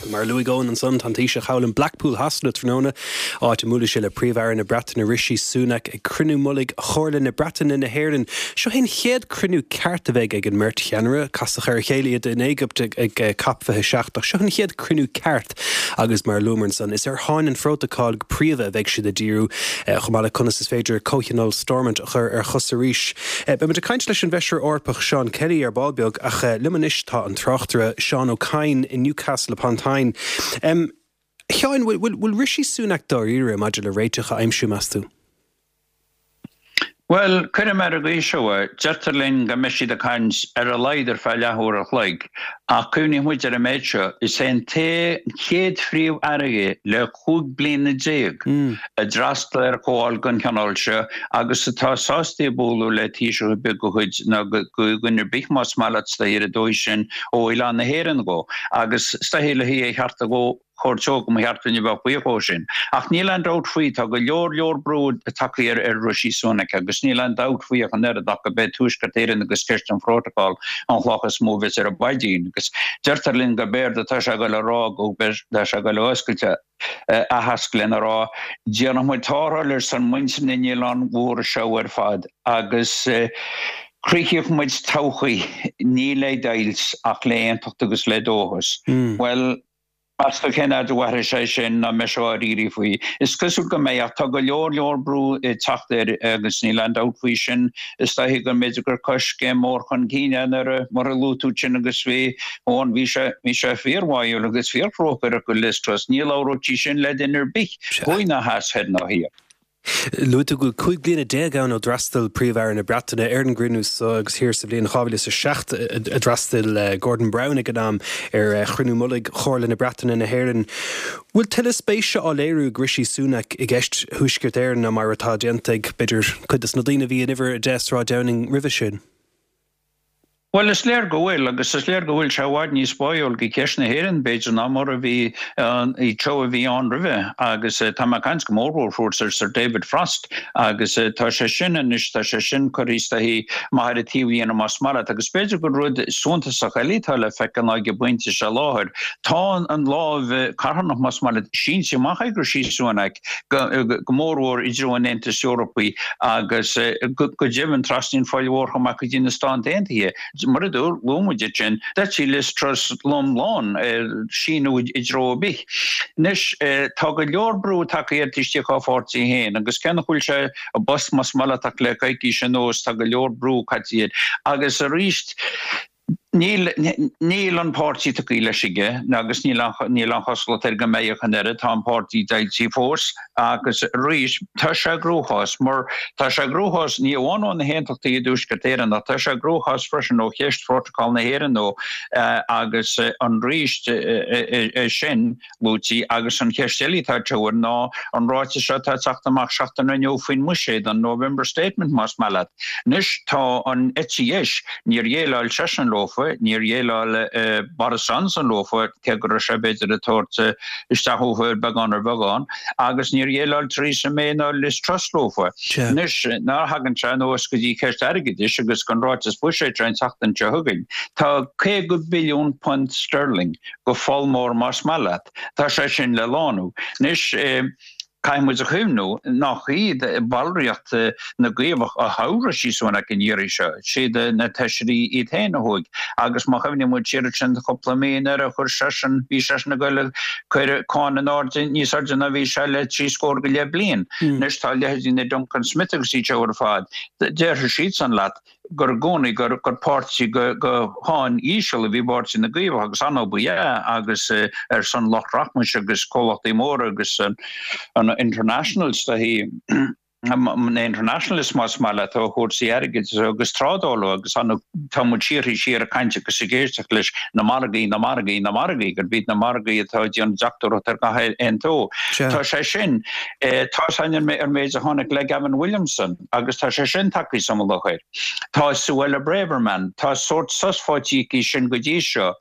Mar a luaigh Eoin ansan, tá an Taoiseach thall in Blackpool Shasana tráthnóna, áit a mbuailfidh sé le Príomh-Aire na Breataine Rishi Sunak ag cruinniú mullaigh Chomhairle na Breataine-na hÉireann. Seo é an chéad cruinniú ceart a bheidh ag an mbeirt cheannaire. Casadh ar a chéile iad in Éigipt ag Cop 27 ach seo an chéad cruinniú ceart agus mar a luamar ansan, is ar sháinn an phrótacail go príomha a bheidh siad ag díriú, chomh maith le conas is féidir Comhthionól Stormont a chur ar chosa arís. Beidh muid ag caint leis an bhFeisire Eorpach Seán Kelly ar ball beag ach liom anois tá an tráchtaire Seán Ó Cadhain i Newcastle upon Tyne. A Sheáin, bhfuil Rishi Sunak dáiríre maidir le réiteach a aimsiú, meas tú? Bhuel, cuirfidh mé ar an gcaoi seo é, deirtear linn go mbeidh siad ag caint ar a laghad ar feadh leathuair a chloig, ach cuimhníodh muid ar an méid seo, is é an chéad Phríomh-Aire é le 15 bliana a d'fhreastail ar chomhdháil den chineál seo agus atá sásta ag bualadh le Taoiseach ar bith de chuid, nó de dhuine ar bith más maith leat, is dóichí ar an dóigh sin, ó oileán na hÉireann dhó. Agus is dóichí le hé a cheartú dhó. chuirteodh go mba cheart duine a bheadh buíoch dhó sin. Ach níl aon dabht faoi, tá go leor leor brú tagtha ar ar Rishi Sunak agus níl aon dabht faoi ach an oiread ach go b'é Tuaisceart Éireann agus ceist an Phrótacail an chloch is mó a bheas ar a mhaidín. Agus deirtear linn go b'éard atá sé ag dul a rá go tá sé ag dul a oscailt a aitheasc lena rá, déanfaidh muid tarrtháil ar son muintir na n-oileán mhór seo ar fad agus cruthóidh muid todhchaí ní le deighilt ach le aontacht agus le dóchas. Bhuel, Meas tú cén fhad a mhairfidh sé sin nó an mbeidh sé dáiríre faoi? Is cosúil go mbeidh ach tá go leor leor brú ag teacht air agus níl aon dabht faoi sin. Is dóichí go mb'fhéidir gur coiscéim mór chun cinn é nuair a, mar a luaigh tú sin agus bhí, Eoin, bhí sé, bhí sé fíorbháúil agus fíorthrócaireach go Liz Truss. Ní labhródh sí sin le duine ar bith, thuaidh ná theas, thoir ná thiar. Luaigh tú go bhfuil 15 bliana ann ó d'fhreastail Príomh-Aire na Breataine ar an gcruinniú seo agus thiar sa bhliain 2007 a d'fhreastail Gordon Brown ag an am ar chruinniú mullaigh Chomhairle na Breataine na hÉireann. Bhfuil tuilleadh spéise á léiriú ag Rishi Sunak i gceist Thuaisceart Éireann ná mar atá déanta ag, b'fhéidir, cuid de na daoine a bhí in uimhir 10 Sráid Downing roimhe sin? Bhuel, is léir go bhfuil, agus is léir go bhfuil sé i bhfad níos báúil go ceist na hÉireann, b'fhéidir, ná mar a bhí an treo a bhí ann roimhe. Agus tá mé ag caint go mórmhór fós ar Sir David Frost, agus tá sé sin anois, tá sé sin curtha is dóichí amach ar an taobhlíne más maith leat. Agus b'fhéidir gur rud suntasach eile atá le feiceáil ná ag an bpointe seo i láthair, tá an lámh carthanach, más maith leat, sínte amach ag Rishi Sunak, go mórmhór i dtreo an Aontais Eorpaigh agus go deimhin trasna an Phoill Mhór chomh maith go dtí na Stáit Aontaithe. Mar a luaigh muid ansin, d'eitigh Liz Truss lom lán síniú i dtreo ar bith. Anois, tá go leor brú tagtha air taobh istigh dá pháirtí féin agus cé nach bhfuil sé i bpost más maith leat ach le coicís anuas tá go leor brú caite air agus arís, Níl, níl an páirtí tugtha leis aige agus níl níl aon chosúlacht air go mbeidh ach an oiread. Tá an páirtí deighilte fós agus arís tá sé i gcruachás mar tá sé i gcruachás ní amháin ó na hAontachtaithe i dTuaisceart Éireann ach tá sé i gcruachás freisin ó cheist Phrótacal na hÉireann ó agus an arís é sin luaití agus an cheist eile atá ag tabhair ná an ráiteas seo atá ag teacht amach seachtain inniu faoin mbuiséad, an November Statement más maith leat. Anois tá an eite dheis, níor dhéileáil seisean leofa, níor dhéileáil Boris Johnson leofa, cé go raibh sé b'fhéidir ag tabhairt isteach uafa ar beagán ar bheagán, agus níor dhéileáil Theresa May ná Liz Truss leofa. Anois nuair a thagann sé anuas go dtí ceist airgeadais agus an ráiteas buiséid seo an tseachtain seo chugainn, tá 50 billiún punt sterling go pholl mór más maith leat. Tá sé sin le lánú. Anois, caithfidh muid a chuimhniú nach iad ballraíocht na gCaomhach a thogh Rishi Sunak an iarraidh seo, siad na Feisirí iad féin a thogh. Agus má chuimhníonn muid siar ansin cúpla mí nuair a chuir seisean, bhí seisean ag goil ag cur cáin in airde níos airde ná bhí sé le trí scór go leith bliain. Anois tá leithéidí na Duncan Smith agus iad seo ar fad, déarfaidh siadsan leat, gur i gcónaí gur páirtí go cháin íseal a bhí i bPáirtí na gCaomhach agus an-obair ba ea agus ar son lucht rachmais agus comhlachtaí móra agus an internationals na internationalists más maith leat ó chúrsaí airgid agus trádála agus an tá muid síoraí siar ag caint agus ag éisteacht leis na margaí, na margaí, na margaí, gurb iad na margaí atá ag déanamh deachtóireacht ar gach aon tó. Tá sé sin, tá sé ar an méid a tháinig le Gavin Williamson. agus tá sé sin tagtha sa mullach air. Tá Suella Braverman, tá sórt sos faighte aici sin go dtí seo.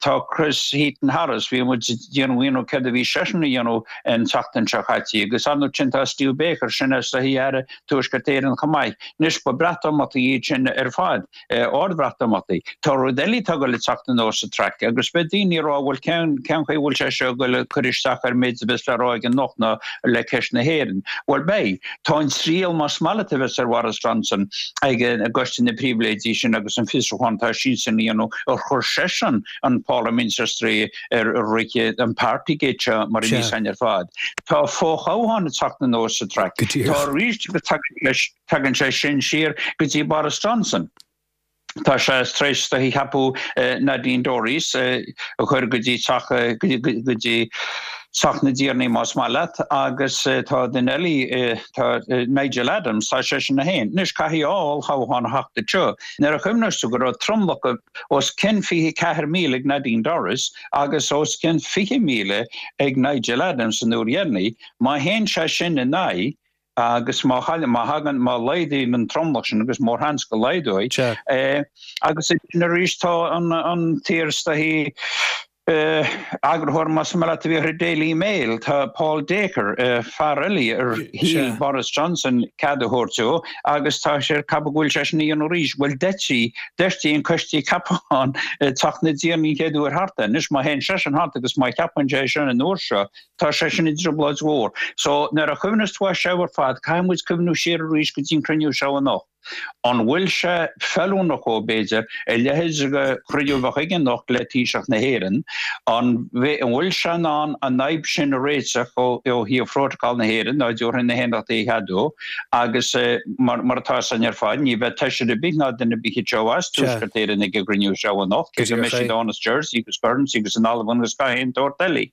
Tá Chris Heaton Harris, bhí muid ag déanamh ionadh céard a bhí seisean a dhéanamh an tseachtain seo caite, agus ansin tá Steve Baker, sin. eisean is dóichí Aire Tuaisceart Éireann chomh maith. Anois ba Breatimeachtaí iad sin ar fad, ard-Bhreatimeachtaí. Tá rud eile atá ag dul ag teacht anuas sa traic agus beidh daoine ag rá bhuel cén cén chaoi a bhfuil sé seo ag dul ag cur isteach ar an méid a bheas le rá aige anocht ná le ceist na hÉireann. Bhuel beidh. Tá an triail más maith leat a bheas ar Bhoris Johnson ag an gCoiste na Pribhléidí sin agus an fiosrúchán atá siadsan a dhéanamh ar chuir seisean an Pharlaimint ar strae ar rith an Partygate seo mar a bhí againn ar fad. Tá fothoghchán ag teacht anuas sa traic. Tá arís agus tagann sé sin siar go dtí Boris Johnson. Tá sé tar éis is dóichí ceapadh Nadine Dorries a chur go dtí teach go dtí Teach na dTiarnaí más maith leat agus tá duine eile tá Nigel Adams tá seisean féin. Anois caithfidh olltoghchán a theacht anseo. Nuair a chuimhneos tú go raibh tromlach os cionn 24,000 ag Nadine Dorries agus os cionn 20,000 ag Nigel Adams an uair dheireanaí. Má théann sé sin in aghaidh agus má má thagann, má laghdaíonn an tromlach sin, agus mórsheans go laghdóidh, agus arís tá an t-iar is dóichí eagarthóir más maith leat a bhí ar an Daily Mail, tá Paul Dacre, fear eile ar shíl Boris Johnson cead a thabhairt dó agus tá sé ag ceapadh go bhfuil seisean a dhéanamh arís. Bhuel deirtí, deirtí an coiste ceapacháin Teach na dTiarnaí an chéad uair thart é. Anois má théann seisean thart agus má cheapann sé é sin an uair seo, tá seisean i dtrioblóid mhór. So nuair a chuimhneos tú air seo ar fad, caithfidh muid cuimhniú siar arís go dtí an cruinniú seo anocht. An bhfuil sé feiliúnach dhó, b'fhéidir, a leithéid de chruinniú a bheith aige anocht le Taoiseach na hÉireann? An bhfuil sé in ann an fhadhb sin a réiteach ó thaobh Phrótacal na hÉireann, dá dtabharfaidh na hAontachtaithe a cheadú? Agus mar atá a fhios againn ar fad, ní bheidh taoiseach ar bith ná duine ar bith anseo as Tuaisceart Éireann ag an gcruinniú seo anocht, cé go mbeidh siad ann as Jersey agus Guernsey agus an Albain agus gach aon tsórt eile.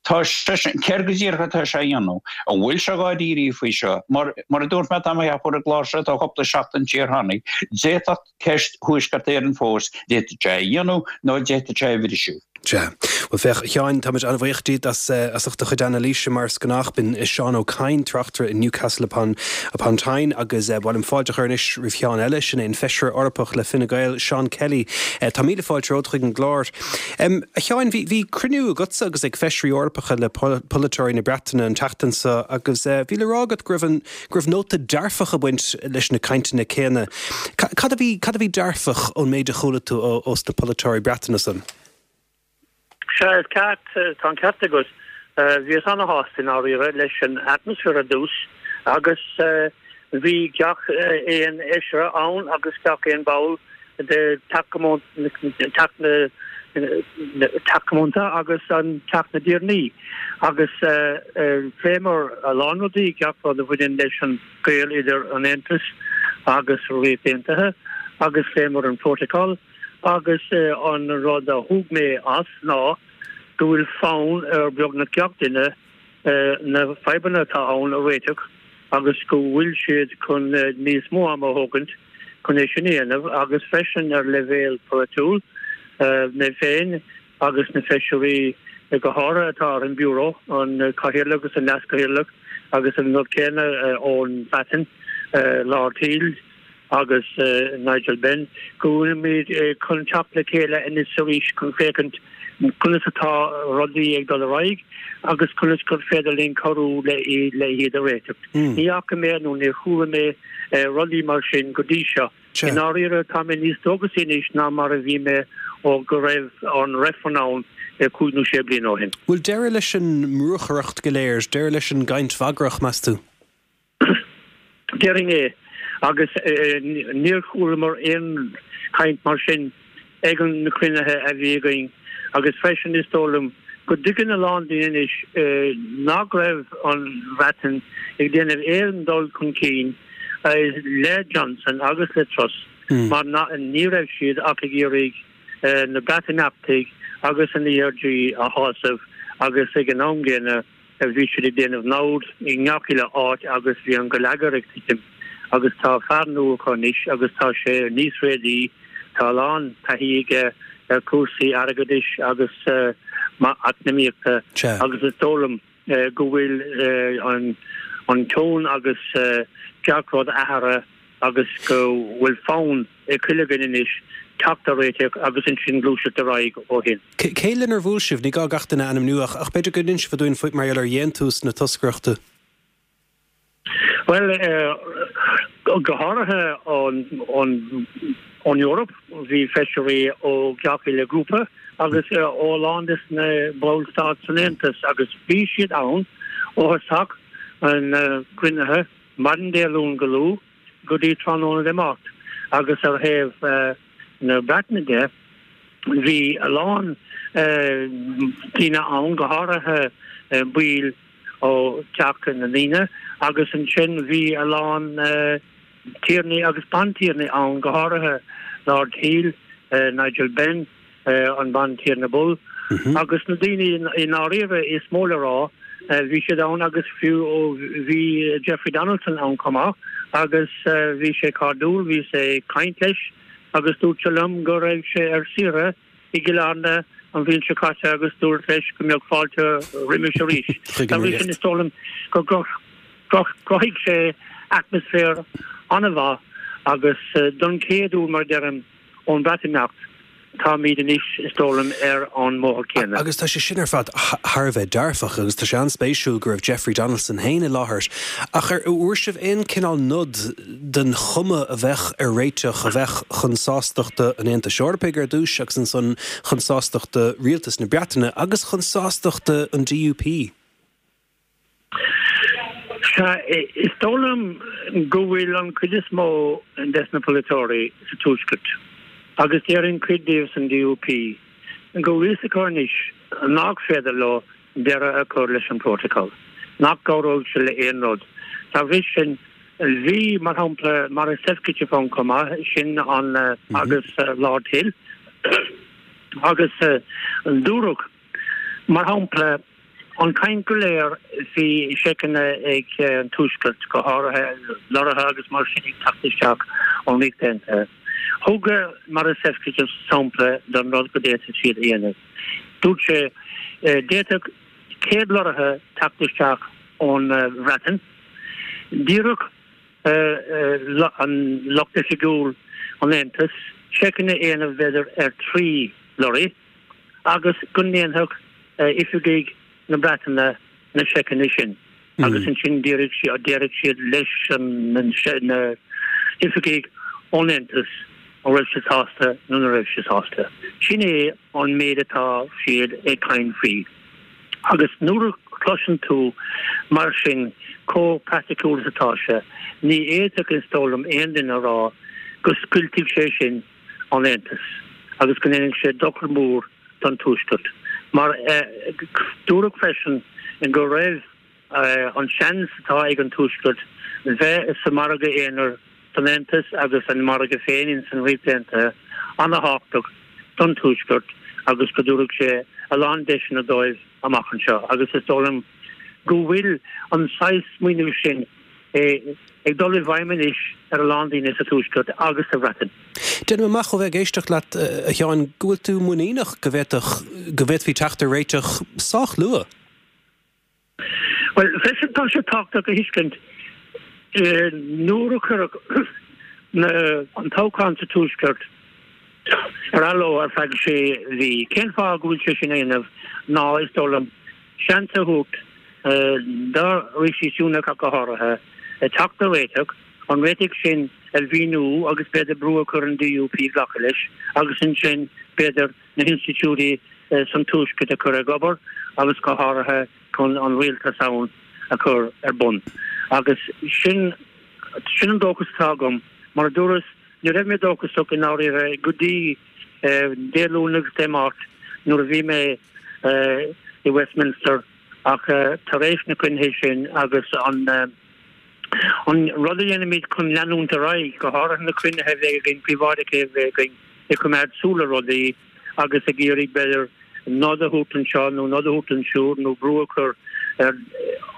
Tá seisean, céard go díreach atá sé a dhéanamh? An bhfuil sé dháiríre faoi seo? Mar, mar a dúirt mé, tá mé ag ceapadh ar an gclár seo tá cúpla seachtain siar tháinig, d'fhéadfadh ceist Thuaisceart Éireann fós, d'fhéadfadh sé é a dhéanamh nó d'fhéadfadh sé é a bhriseadh. Sea. Bhuel, féach, a Sheáin, táimid an-bhuíoch díot as, as ucht do chuid anailíse mar is gnách. B'in Seán Ó Cadhain, tráchtaire i Newcastle upon, upon Tyne agus ba mhaith liom fáilte a chur anois roimh Sheán eile, sin é an Feisire Eorpach le Fine Gael, Seán Kelly. Tá míle fáilte romhat chuig an gclár. A Sheáin, bhí, bhí cruinniú agatsa agus ag Feisirí Eorpacha le polaiteoirí na Breataine an tseachtain seo agus bhí le rá agat go raibh an, go raibh nóta dearfach ag baint leis na cainteanna céanna. Cad a bhí, cad a bhí dearfach ón méid a chuala tú ó, ós na polaiteoirí Breataine san? Sea, is ceart, tá an ceart agat. Bhíos ana-shásta i ndáiríre leis an atmaisféar ar dtús agus bhí gach aon fheisire ann agus gach aon bhall de Teach na Teach Comónta agus an Teach na dTiarnaí agus phléamar a lán rudaí, gach rud a bhaineann leis an gaol idir an Aontas agus an Ríocht Aontaithe agus phléamar an Protocol agus an rud a thóg mé as ná go bhfuil fonn ar beagnach gach duine na fadhbanna atá ann a réiteach agus go bhfuil siad chun níos mó ama a thógaint chun é sin a dhéanamh agus freisin ar leibhéal polaitiúil, mé féin agus na feisirí go háirithe atá ar an Bureau, an Cathaoirleach agus an Leaschathaoirleach agus an rud céanna ón Bhreatain, Lord Hill. agus Nigel Benn, go bhfuilimid chun teacht le chéile anois arís chun féachaint conas atá rudaí ag dul ar aghaidh agus conas gur féidir linn cabhrú le iad a réiteach. Ní fhaca mé nó níor chuala mé rudaí mar sin go dtí seo. I ndáiríre, tá mé níos dóchasaí anois ná mar a bhí mé ó go raibh an reifreann ann cúig nó sé bliana ó shin. Bhfuil deireadh leis an mbrúchaireacht go léir, deireadh leis an gcaint bhagrach, meas tú? Déarfainn é, agus níor chualamar aon chaint mar sin ag na cruinnithe a bhí againn agus freisin is dóigh liom go dtuigeann a lán daoine anois nach raibh an Bhreatain ag déanamh aon dul chun cinn le Johnson agus le Truss mar ní raibh siad ach ag iarraidh na Breatimeachtaigh agus an ERG a shásamh agus ag an am gcéanna Bhí siad ag déanamh namhad i ngach uile áit agus bhí an geilleagar ag titim agus tá fear nua acu anois agus tá sé níos réadaí, tá a lán taithí aige ar chúrsaí airgeadais agus eacnamaíochta agus is dóigh liom go bhfuil an tone agus gach rud athraithe agus go bhfuil fonn ag chuile dhuine anois teacht ar réiteach agus ansin gluaiseacht ar aghaidh ó shin. Cé lenar bhuail sibh? Ní gá gach duine a ainmniú ach b'fhéidir go n-inseofá dúinn faoi mar gheall ar dhéantús na toscaireachta. Bhuel, go háirithe ón Eoraip, bhí feisirí ó gach uile ghrúpa agus ó a lán des na ballstáit san Aontas agus bhí siad ann ó thosach na gcruinnithe maidin Dé Luain go luath go dtí tráthnóna Dé Máirt agus ar thaobh na Breataine de bhí a lán daoine ann, go háirithe baill ó Theach na nDaoine agus ansin bhí a lán tiarnaí agus bantiarnaí ann, go háirithe Lord Hill, Nigel Benn, an Bantiarna Bull agus na daoine i ndáiríre is mó le rá, bhí siad ann agus fiú bhí Jeffrey Donaldson ann chomh maith agus bhí sé cairdiúil, bhíos ag caint leis agus dúirt sé liom go raibh sé ar saoire i gCill Airne an bhliain seo caite agus dúirt leis go mbeadh fáilte roimis arís. Dá bhrí sin is dóigh liom go gcruthaigh sé atmaisféar an-mhaith agus don chéad uair mar a deirim ón Bhreatimeacht táimid anois is dóigh liom ar an mbóthar céanna. Agus tá sé sin ar fad thar a bheith dearfach agus tá sé an-spéisiúil go raibh Jeffrey Donaldson féin i láthair. Ach ar bhfuair sibh aon cineál nod den chuma a bheadh ar réiteach a bheadh chun sástachta an Aontais Eorpaigh ar dtús agus ansan chun sástachta Rialtas na Breataine agus chun sástachta an DUP? Sea, is dóigh liom go bhfuil an chuid is mó des na polaiteoirí sa Tuaisceart, agus déarfainn cuid díobh san DUP, go bhfuil fhios acu anois nach féidir leo deireadh a chur leis an bPrótacal, nach gcabhróidh sé le aon rud. Dá bhrí sin, bhí, mar shampla, Maris Sefcovic ann chomh maith, sin an agus Lord Hill, agus dúradh, mar shampla, an chaint go léir faoi seiceanna ag an Tuaisceart, go háirithe lorraithe agus mar sin ag teacht isteach ón Ríocht Aontaithe. Thug Maris Sefcovic sampla den rud go d'fhéadfadh siad a dhéanamh. Dúirt sé, d'fhéadfadh 100 lorraithe teacht isteach ón Bhreatain, d'iarrfadh an lucht oifigiúil an Aontais seiceanna a dhéanamh b'fhéidir ar thrí lorraí agus go ndéanfadh oifigigh na Breataine na seiceanna sin agus ansin déarfadh siad leis na hoifigigh ón Aontas an raibh siad sásta nó nach raibh siad sásta. Sin é an méid atá siad ag caint faoi. Agus nuair a chloiseann tú mar sin chomh praiticiúil is atá sé, ní fhéadfadh, is dóigh liom, aon duine a rá go scoiltfidh sé sin an Aontas agus go ndéanfaidh sé dochar mór don Tuaisceart. Mar dúradh freisin go raibh an seans atá ag an Tuaisceart bheith sa margadh aonair san Aontas agus an margadh féin ins an Ríocht Aontaithe ana-thábhachtach don Tuaisceart agus go dtabharfadh sé a lán deiseanna dóibh amach anseo agus is dóigh liom go bhfuil an saghas smaoineamh sin ag dul i bhfeidhm anois ar a lán daoine sa Tuaisceart agus sa Bhreatain. Déanaim amach ó bheith ag éisteacht leat, a Sheáin, go bhfuil tú muiníneach go bhféadfadh, go bhféadfaí teacht ar réiteach sách luath. Bhuel, freisin tá sé tábhachtach a thuiscint nuair a cuireadh an toghchán sa Tuaisceart ar athló ar feadh sé mhí, cén fáth go bhfuil sé sin á dhéanamh ná, is dóigh liom, seans a thabhairt do Rishi Sunak ach go háirithe, teacht ar réiteach, an réiteach sin a mhíniú agus b'fhéidir brú a chur ar an DUP glacadh leis agus ansin b'fhéidir na hinstitiúidí san Tuaisceart a chur ag obair agus go háirithe chun an rialtas ann a chur ar bun. Agus sin sin an dóchas atá agam. Mar a dúras, ní raibh mé dóchasach i ndáiríre go dtí Dé Luain agus Dé Máirt nuair a bhí mé i Westminster ach tar éis na cruinnithe sin agus an An rud a dhéanaimid chun leanúint ar aghaidh, go háirithe na cruinnithe a bheidh againn, príobháideacha a bheidh againn, ag coimeád súil ar rudaí agus ag iarraidh, b'fhéidir, nod a thabhairt anseo nó nod a thabhairt ansiúd nó brú a chur ar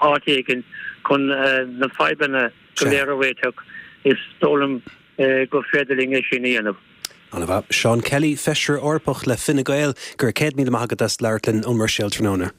áit éigin chun na fadhbanna go léir a réiteach, is dóigh liom gur féidir linn é sin a dhéanamh. Ana-mhaith. Seán Kelly, Feisire Eorpach le Fine Gael, go raibh 100,000 maith agat as labhairt linn ón mBruiséil tráthnóna.